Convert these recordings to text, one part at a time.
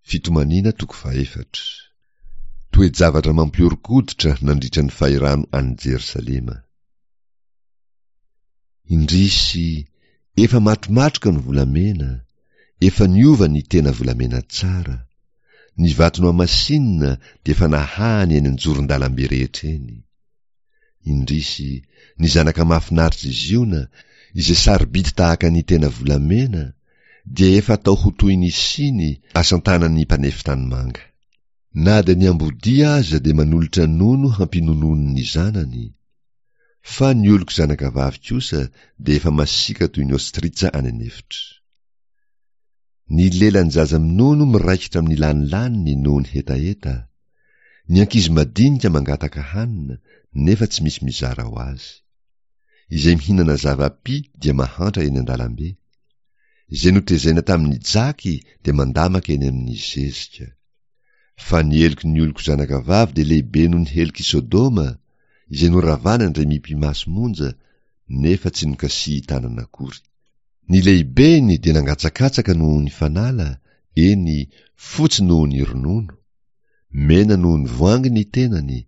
Fitomaniana toko fahefatra. Toe-javatra mampihoron-koditra nandritra ny fahirano an'i Jerosalema. Indrisy, efa matromatroka ny volamena, efa niova ny tena volamena tsara. Ny vato nohamasinina dia efa nahahany eny an-joron-dalambe rehetra eny. Indrisy, ny zanaka mahafinaritr'i Ziona, izay sarobidy tahaka ny tena volamena, dia efa atao ho toy ny siny asan-tanan'ny mpanefy tanimanga. Na dia ny ambodia aza dia manolotra nono hampinonoany ny zanany, fa ny oloko zanakavavy kosa dia efa masiaka toy ny ostritsa any an'efitra. Ny lelan'ny zaza minono miraikitra amin'ny lanilaniny noho ny hetaheta, Ny ankizy madinika mangataka hanina nefa tsy misy mizara ho azy. Izay mihinana zava-py dia mahantra eny an-dalambe. Izay notezaina tamin'ny jaky dia mandamaka eny amin'ny zezika. Fa ny heloky ny oloko zanakavavy dia lehibe noho ny helok'i Sodoma, izay noravana indray mipi-maso monja, nefa tsy nokasihin-tanana akory. Ny lehibeny dia nangatsakatsaka noho ny fanala, eny, fotsy noho ny ronono. Mena noho ny voangy ny tenany,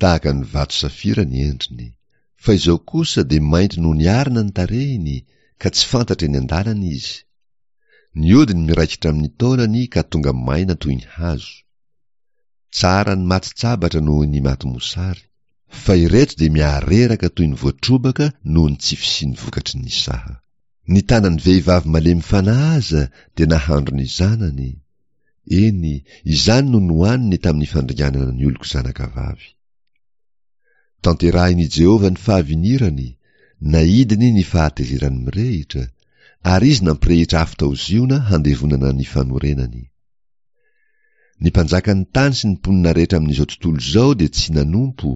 tahaka ny vato safira ny endriny. Fa izao kosa dia mainty noho ny arina ny tarehiny, ka tsy fantatra eny an-dalana izy. Ny hodiny miraikitra amin'ny taolany ka tonga maina toy ny hazo. Tsara ny maty tsabatra noho ny maty mosary. Fa ireto dia mihareraka toy ny voatrobaka noho ny tsy fisian'ny vokatry ny saha. Ny tanan'ny vehivavy malemy fanahy aza dia nahandro ny zanany, eny, izany no nohaniny tamin'ny fandringanana ny oloko zanakavavy. Tanterahin'i Jehovah ny fahavinirany, naidiny ny fahatezerany mirehitra, ary izy nampirehitra afo tao Ziona handevonana ny fanorenany. Ny mpanjakan'ny tany sy ny mponina rehetra amin'izao tontolo izao dia tsy nanompo,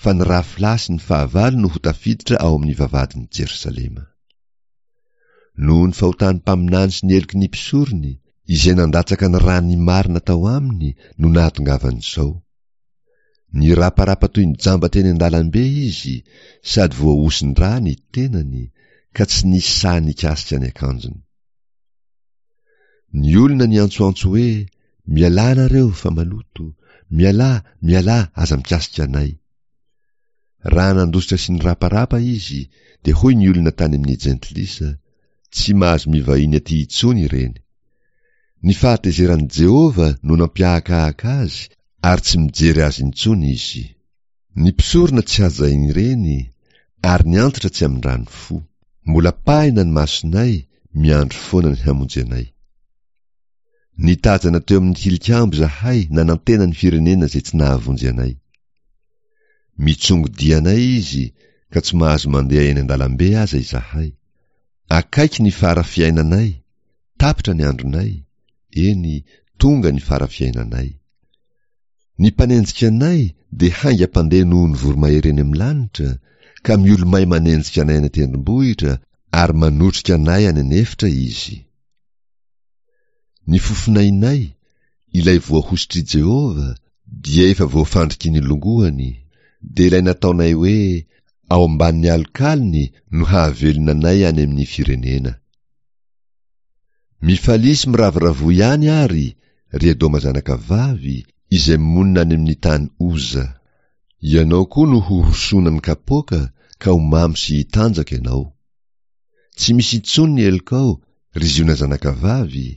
fa ny rafilahy sy ny fahavalo no ho tafiditra ao amin'ny vavahadin'i Jerosalema. Noho ny fahotan'ny mpaminany sy ny heloky ny mpisorony, izay nandatsaka ny ran'ny marina tao aminy no nahatongavan'izao. Niraparapa toy ny jamba teny an-dalambe izy sady voahosin-drà ny tenany, ka tsy nisy sahy nikasika ny akanjony. Ny olona niantsoantso hoe, Mialà nareo fa maloto, mialà, mialà, aza mikasika anay. Raha nandositra sy niraparapa izy, dia hoy ny olona tany amin'ny jentilisa, Tsy mahazo mivahiny aty intsony ireny. Ny fahatezeran'i Jehovah no nampiahakahaka azy ary tsy mijery azy intsony izy. Ny mpisorona tsy hajain'ireny, ary ny antitra tsy amindrany fo. Mbola pahina ny masonay, miandry foana ny hamonjy anay. Nitazana teo amin'ny tilikambo izahay nanantena ny firenena izay tsy nahavonjy anay. Mitsongo dia anay izy ka tsy mahazo mandeha eny an-dalambe aza izahay. Akaiky ny fara fiainanay, tapitra ny andronay, eny, tonga ny fara fiainanay. Ny mpanenjika anay dia haingam-pandeha noho ny voromahery eny amin'ny lanitra, ka miolomay manenjika anay any an-tendrombohitra ary manotrika anay any an'efitra izy. Ny fofonainay, ilay voahosotr'i Jehovah, dia efa voafandriky ny longoany, dia ilay nataonay hoe ao ambanin'ny alokalony no hahavelona anay any amin'ny firenena. Mifalia sy miravoravoa ihany àry, ry Edoma zanakavavy, izay monina any amin'ny tany Oza. Ianao koa no horosoana ny kapoaka ka ho mamo sy hitanjaka ianao. Tsy misy intsony ny helokao, ry Ziona zanakavavy,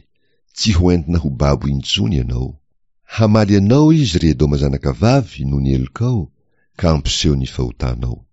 tsy ho entina ho babo intsony ianao. Hamaly anao izy, ry Edoma zanakavavy, noho ny helokao, ka hampiseho ny fahotanao.